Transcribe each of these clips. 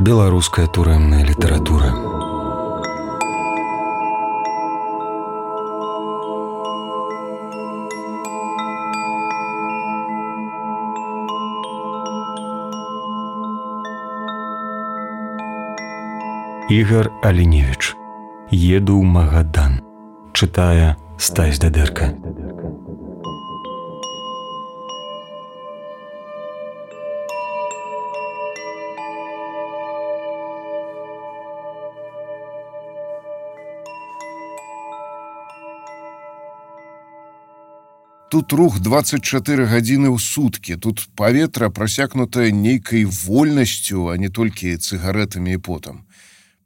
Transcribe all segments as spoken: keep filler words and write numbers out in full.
Беларуская турэмная літаратура. Ігар Аліневіч. Еду ў Магадан. Чытае Стась Дадэрка. Тут рух дваццаць чатыры гадзіны ў суткі, тут паветра прасякнутае нейкай вольнасцю, а не толькі цыгарэтамі і потам.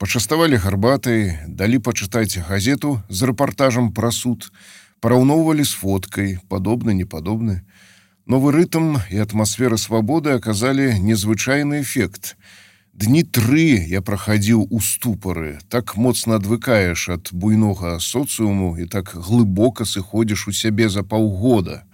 Пачаставалі гарбатай, далі пачытаць газету з рэпартажам пра суд, параўноўвалі з фоткай, падобны, непадобны. Новы рытм і атмасфера свабоды аказалі незвычайны эфект. Дні тры я прахадзіў у ступары, так моцна адвыкаеш ад буйнога соцыуму і так глыбока сыходзіш у сябе за паўгода.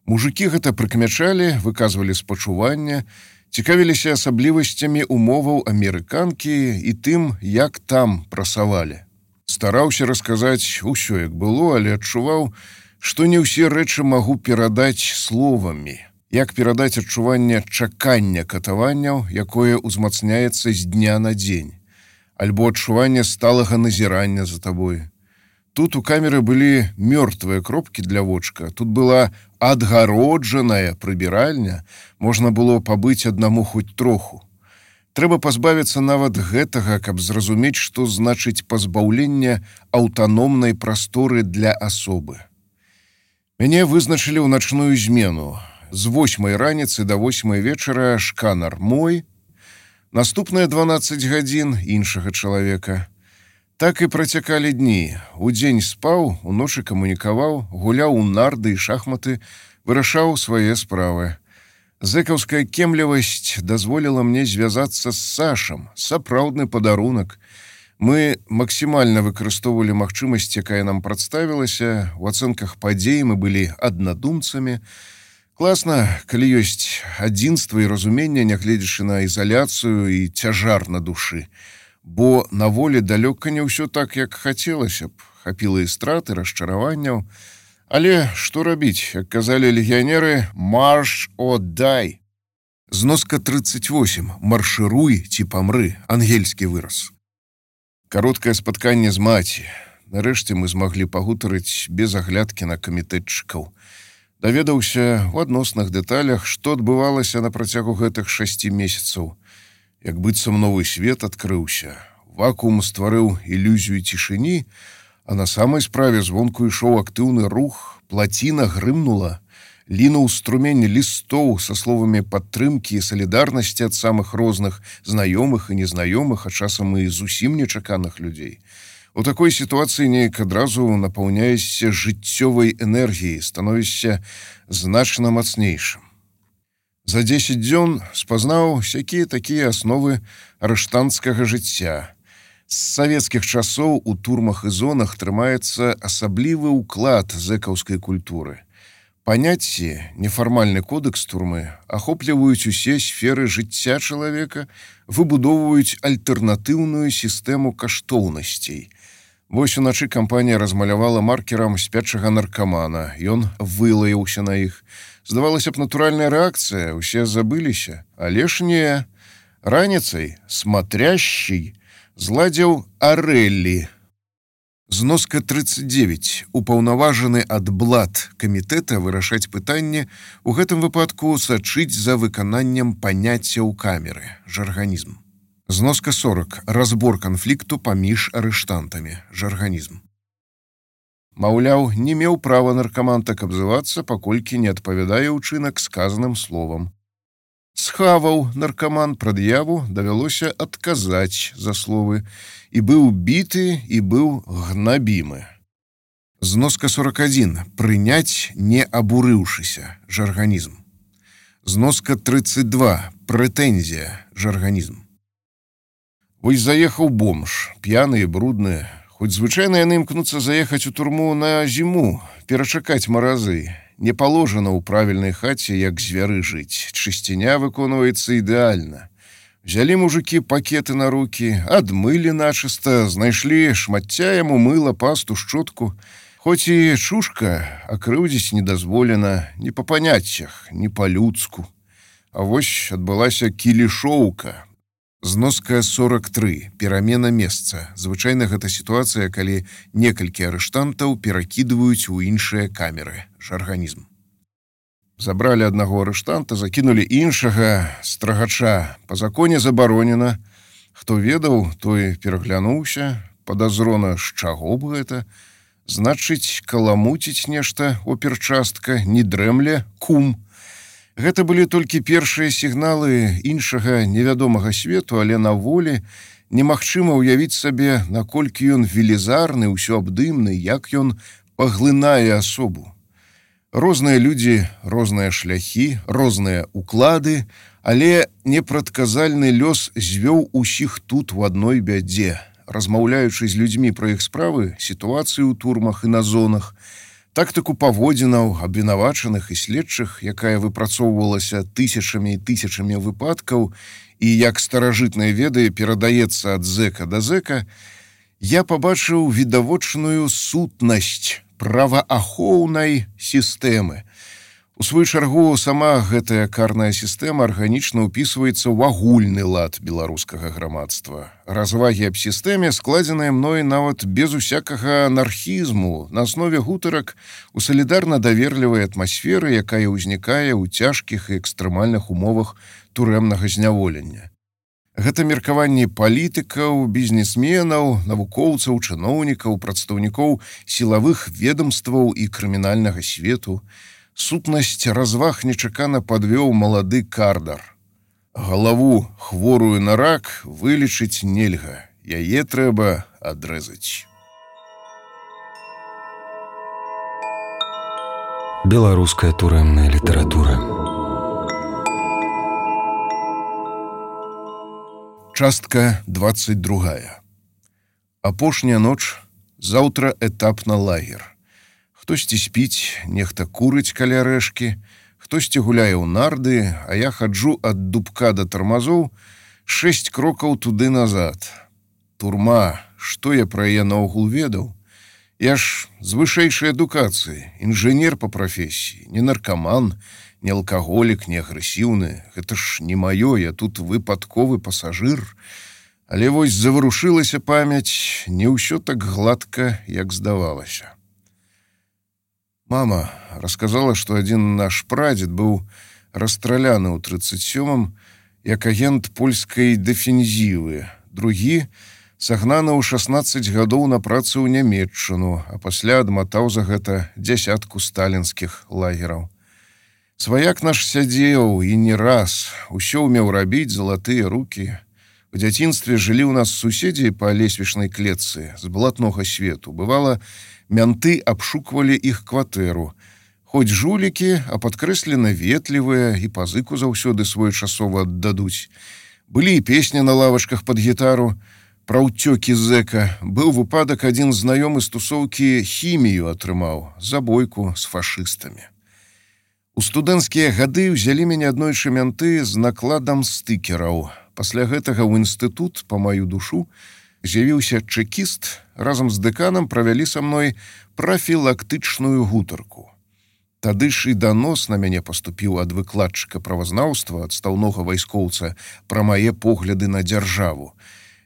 Мужыкі гэта прыкмячалі, выказвалі спачуванне, цікавіліся асаблівасцямі умоваў амерыканкі і тым, як там прасавалі. Стараўся расказаць усё, як было, але адчуваў, што не ўсе рэчы магу перадаць словамі. Як перадаць адчуванне чакання катаванняў, якое ўзмацняецца з дня на дзень, альбо адчуванне сталага назірання за табой. Тут у камеры былі мёртвыя кропкі для вочка, тут была адгароджаная прыбіральня, можна было пабыць аднаму хоць троху. Трэба пазбавіцца нават гэтага, каб зразумець, што значыць пазбаўленне аўтаномнай прасторы для асобы. Мяне вызначылі ў начную змену. З восьмай раніцы да восьмай вечара шканар мой, наступныя дванаццаць гадзін іншага чалавека. Так і працякалі дні. Удзень спаў, уночы камунікаваў, гуляў у нарды і шахматы, вырашаў свае справы. Зэкаўская кемлівасць дазволіла мне звязацца з Сашам, сапраўдны падарунак. Мы максімальна выкарыстоўвалі магчымасць, якая нам прадставілася, у ацэнках падзей мы былі аднадумцамі. Класна, калі ёсць адзінства і разуменне, нягледзячы на ізаляцыю і цяжар на душы. Бо на волі далёка не ўсё так, як хацелася б. Хапіла і страт, і расчараванняў. Але што рабіць, як казалі легіянеры, марш о дай. Зноска трыццаць восем. Маршыруй ці памры. Ангельскі выраз. Кароткае спатканне з маці. Нарэшце мы змаглі пагутарыць без аглядкі на камітэтчыкаў. Даведаўся ў адносных дэталях, што адбывалася на працягу гэтых шасці месяцаў. Як быццам новы свет адкрыўся. Вакуум стварыў ілюзію цішыні, а на самай справе звонку ішоў актыўны рух, плаціна грымнула, лінуў струмень лістоў са словамі падтрымкі і салідарнасці ад самых розных знаёмых і незнаёмых, а часам і зусім нечаканых людзей. У такой сітуацыі неяк адразу напаўняешся жыццёвай энергіяй, становішся значна мацнейшым. За дзесяць дзён спазнаў сякія такія асновы арыштанцкага жыцця. З савецкіх часоў у турмах і зонах трымаецца асаблівы ўклад зэкаўскай культуры. Паняцці, нефармальны кодэкс турмы ахопліваюць усе сферы жыцця чалавека, выбудоўваюць альтэрнатыўную сістэму каштоўнасцей. Вось уначы кампанія размалявала маркерам спячага наркамана. Ён вылаяўся на іх. Здавалася б, натуральная рэакцыя, усе забыліся. Але ж не. Раніцай смотрящий зладзіў Арэллі. Зноска трыццаць дзевяць. Упаўнаважаны ад блат камітэта вырашаць пытанне, у гэтым выпадку сачыць за выкананнем паняцця ў камеры. Жарганізм. Зноска сорок. Разбор канфлікту паміж арыштантамі. Жарганізм. Маўляў, не меў права наркаман так абзывацца, паколькі не адпавядае ўчынак сказаным словам. Схаваў наркаман прад'яву, давялося адказаць за словы. І быў біты, і быў гнабімы. Зноска сорок адзін. Прыняць, не абурыўшыся. Жарганізм. Зноска трыццаць два. Прэтэнзія. Жарганізм. Вось заехаў бомж, п'яны і брудны. Хоць звычайна яны імкнуцца заехаць у турму на зіму, перачакаць маразы. Не паложана ў правільнай хаце, як звяры жыць. Чысціня выконваецца ідэальна. Взялі мужыкі пакеты на рукі, адмылі начыста, знайшлі шмацця яму мыла, пасту, шчотку. Хоць і чушка, а крыўдзіць не дазволена ні па паняццях, ні па-людску. А вось адбылася кілішоўка. Зноска сорок тры. Перамена месца. Звычайна гэта сітуацыя, калі некалькі арыштантаў перакідваюць у іншыя камеры. Жарганізм. Забралі аднаго арыштанта, закінулі іншага страгача. Па законе забаронена. Хто ведаў, той пераглянуўся. Падазрона, з чаго б гэта? Значыць, каламуціць нешта оперчастка, не дрэмле, кум. Гэта былі толькі першыя сігналы іншага невядомага свету, але на волі немагчыма ўявіць сабе, наколькі ён велізарны, ўсё абдымны, як ён паглынае асобу. Розныя людзі, розныя шляхі, розныя уклады, але непрадказальны лёс звёў усіх тут у адной бядзе. Размаўляючы з людзьмі пра іх справы, сітуацыі ў турмах і на зонах, тактыку паводзінаў, абвінавачаных і следчых, якая выпрацоўвалася тысячамі і тысячамі выпадкаў і як старажытныя веды перадаецца ад зэка да зэка, я пабачыў відавочную сутнасць праваахоўнай сістэмы. У сваю чаргу, сама гэтая карная сістэма арганічна ўпісваецца ў агульны лад беларускага грамадства. Развагі аб сістэме складзеныя мной нават без усякага анархізму на аснове гутарак у салідарна-даверлівай атмасферы, якая ўзнікае ў цяжкіх і экстрэмальных умовах турэмнага зняволення. Гэта меркаванні палітыкаў, бізнесменаў, навукоўцаў, чыноўнікаў, прадстаўнікоў сілавых ведамстваў і крымінальнага свету. Сутнасць разваг нечакана падвёў малады кардар. Галаву, хворую на рак, вылечыць нельга. Яе трэба адрэзаць. Беларуская турэмная літаратура. Частка двадцать другая. Апошняя ноч, заўтра этап на лагер. Хтосьці спіць, нехта курыць каля рэшкі, хтосьці гуляе ў нарды, а я хаджу ад дубка да тармазоў шэсць крокаў туды назад. Турма, што я пра яе наогул ведаў? Я ж з вышэйшай адукацыі, інжынер па прафесіі, не наркаман, не алкаголік, не агрэсіўны. Гэта ж не маё, я тут выпадковы пасажыр. Але вось заварушылася памяць, не ўсё так гладка, як здавалася. Мама расказала, што адзін наш прадзед быў расстраляны ў трыццаць сёмым як агент польскай дэфензівы, другі сагнаны ў шаснаццаць гадоў на працу ў Нямецчыну, а пасля адматаў за гэта дзясятку сталінскіх лагераў. Сваяк наш сядзеў і не раз, усё ўмеў рабіць, залатыя рукі. У дзяцінстве жылі ў нас суседзі па лесвічнай клетцы з блатнога свету. Бывала, мянты абшуквалі іх кватэру. Хоць жулікі, а падкрэслена ветлівыя і пазыку заўсёды своечасова аддадуць. Былі і песні на лавачках пад гітару. Пра ўцёкі зэка. Быў выпадак, адзін знаёмы з тусоўкі хімію атрымаў, забойку з фашыстамі. У студэнцкія гады ўзялі мяне аднойчы мянты з накладам стыкераў. Пасля гэтага ў інстытут, па маю душу, з'явіўся чэкіст, разам з дэканам правялі са мной прафілактычную гутарку. Тады ж і данос на мяне паступіў ад выкладчыка правазнаўства, адстаўнога вайскоўца, пра мае погляды на дзяржаву.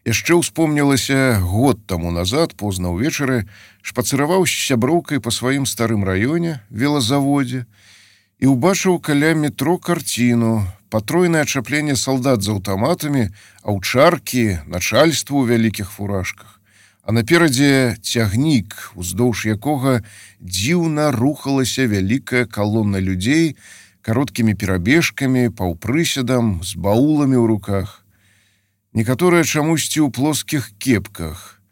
Яшчэ ўспомнілася год таму назад, позна ўвечары, шпацыраваў з сяброўкай па сваім старым раёне, велазаводзе, і ўбачыў каля метро карціну, патройнае ачапленне салдат з аўтаматамі, аўчаркі, начальства ў вялікіх фуражках. А наперадзе цягнік, уздоўж якога дзіўна рухалася вялікая калона людзей кароткімі перабежкамі, паўпрыседам, з бауламі ў руках. Некаторыя чамусьці ў плоскіх кепках.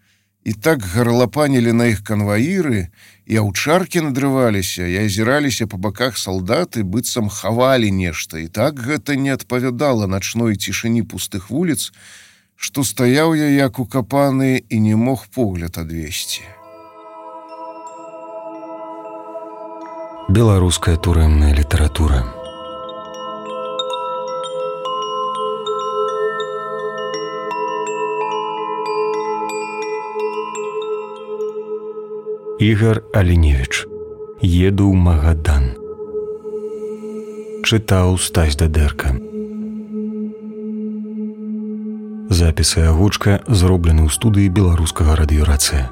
І так гарлапанілі на іх канваіры, і аўчаркі надрываліся, і азіраліся па баках салдаты, быццам хавалі нешта, і так гэта не адпавядала начной цішыні пустых вуліц, што стаяў я як укапаны і не мог погляд адвесці. Беларуская турэмная літаратура. Ігар Аленевіч. Еду ў Магадан. Чытаў Стась Дадэрка. Запіс і агучка зроблены ў студыі беларускага радыёрацыя.